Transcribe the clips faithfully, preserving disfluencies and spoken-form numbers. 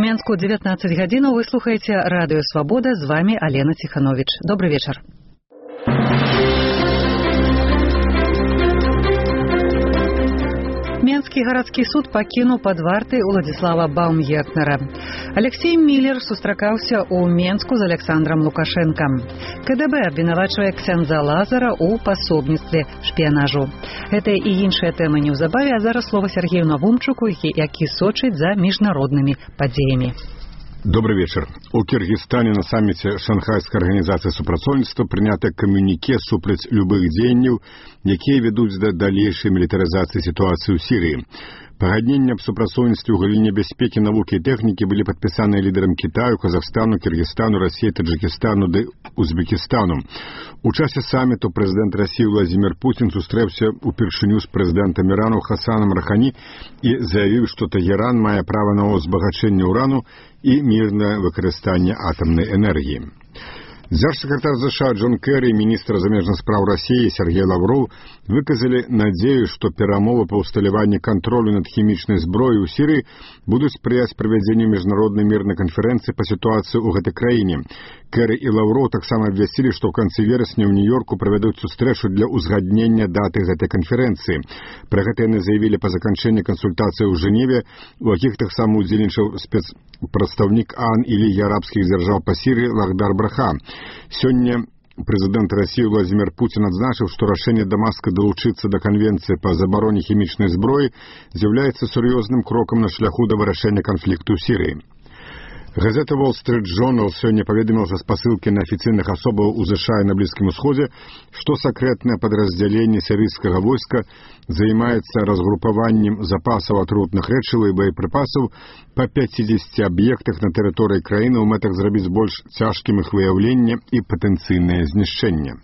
Менску девятнадцать гадзінаў. Вы слухаеце радыё Свабода. З вами Алена Тиханович. Добрый вечер. Менскі гарадскі суд пакінуў пад вартай Уладзіслава Баумгертнера. Алексей Міллер сустракаўся ў Менску з Александром Лукашэнкам. КДБ абвінавачвае ксяндза Лазара ў пасобніцтве шпіянажу. Гэта і іншыя тэмы неўзабаве, а зараз слова Сергею Навумчуку, які сочыць за міжнароднымі падзеямі. Добрый вечер. У Киргизстане на саммите Шанхайской организации супрацоўніцтва прынята камюніке супраць любых дзеянняў, якія вядуць да далейшай мілітарызацыі сітуацыі ў Сірыі. Пагадненні аб супрацоўніцтве ў галіне бяспекі, навукі і тэхнікі былі падпісаныя лідарам Кітаю, Казахстану, Киргизстану, Расіі, Таджикистану ды Узбекистану. У часе самміту прэзідэнт Расіі Владзімір Путін сустрэўся упершыню з прэзідэнтам Ірану Хасанам Рахані і заявіў, што Тэгеран мае права на узбагачэнне ўрану і мірнае выкарыстанне атамнай энергіі. Дзяржсакратар ЗША Джон Керри і міністр замежных спраў Расіі Сергей Лавров выказалі надзею, што перамовы па ўсталяванні кантролю над хімічнай зброяй у Сірыі будуць спрыяць правядзенню міжнароднай мірнай канферэнцыі па сітуацыі ў гэтай краіне. Керри і Лавров таксама абвясцілі, што ў канцы верасня ў Нью-Йорку правядуць сустрэчу для ўзгаднення даты гэтай канферэнцыі. Пра гэта яны заявілі па заканчэнні кансультацыі ў Жэневе, у якіх таксама удзельнічаў спецпрадстаўнік ААН і Лігі арабскіх дзяржаў па Сірыі Лахдар Браха. Сёння прэзідэнт Расіі Владзімір Путін адзначыў, што рашэнне Дамаска далучыцца да канвенцыі па забароне хімічнай зброі з'яўляецца сур'ёзным крокам на шляху да вырашэння канфлікту ў Сірыі. Газета Wall Street Journal сёння паведаміла са спасылкі на афіцыйных асобаў у ЗША і на Блізкім Усходзе, што сакрэтнае падраздзяленне сірыйскага войска займаецца разгрупаваннем запасаў атрутных рэчываў і боепрыпасаў па пяцідзесяці аб'ектах на тэрыторыі краіны ў мэтах зрабіць больш цяжкім іх выяўленне і патэнцыйнае знішчэнне.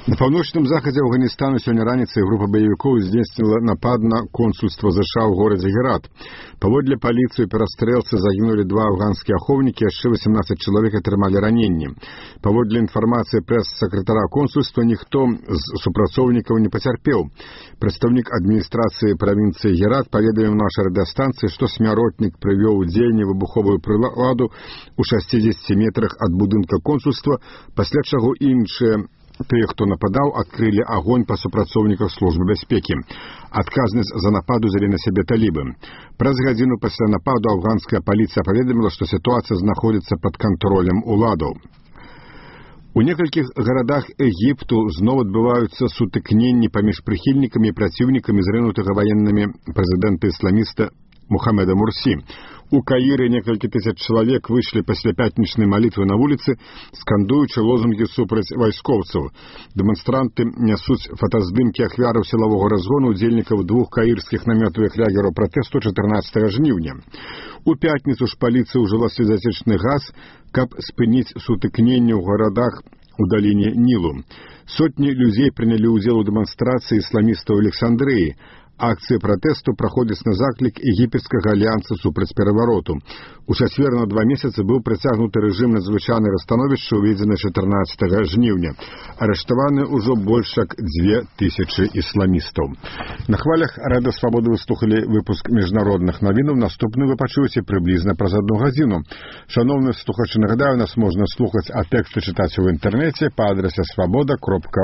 На паўночным захадзе Афганістану сёння раніцай група баевікоў здзейсніла напад на консульства ЗША ў горадзе Герат. Паводле паліцыі перастрэлцы загінулі два афганскія ахоўнікі, яшчэ васемнаццаць чалавек атрымалі раненні. Паводле інфармацыі прэс-сакратара консульства, ніхто з супрацоўнікаў не пацярпеў. Прадстаўнік адміністрацыі правінцыі Герат паведаміў нашай радыёстанцыі, што смяротнік прывёў у дзеянне выбуховую прыладу ў шасцідзесяці метрах ад будынка консульства, пасля чаго іншыя тыя, хто нападаў, адкрылі агонь па супрацоўніках службы бяспекі. Адказнасць за напад узялі на сябе талібы. Праз гадзіну пасля нападу афганская паліцыя паведаміла, што сітуацыя знаходзіцца пад кантролем уладаў. У некалькіх гарадах Егіпту зноў адбываюцца сутыкненні паміж прыхільнікамі і праціўнікамі зрынутага ваеннымі прэзідэнта-ісламіста Мухаммеда Мурсі. У Каіры некалькі тысяч чалавек выйшлі пасля пятнічнай малітвы на вуліцы, скандуючы лозунгі супраць вайскоўцаў. Дэманстранты нясуць фотаздымкі ахвяраў сілавога разгону удзельнікаў двух каірскіх намётавых лагераў пратэсту чатырнаццатага жніўня. У пятніцу ж паліцыя ўжыла слезацечны газ, каб спыніць сутыкненне ў гарадах у даліне Нілу. Сотні людзей прынялі ўдзел у дэманстрацыі ісламістаў Александрыі. Акцыі пратэсту праходзяць на заклік егіпецкага альянса супраць перавароту. У чацвер на два месяцы быў працягнуты рэжым надзвычайнага становішча, уведзены чатырнаццатага жніўня. Арыштаваны ўжо больш як дзве тысячы ісламістаў. На хвалях Радыё Свабоды вы слухалі выпуск міжнародных навінаў. Наступны вы пачуеце прыблізна праз адну гадзіну. Шаноўныя слухачы, нагадаю, нас можна слухаць, а тэксты чытаць у інтэрнэце па адрасе свабода кропка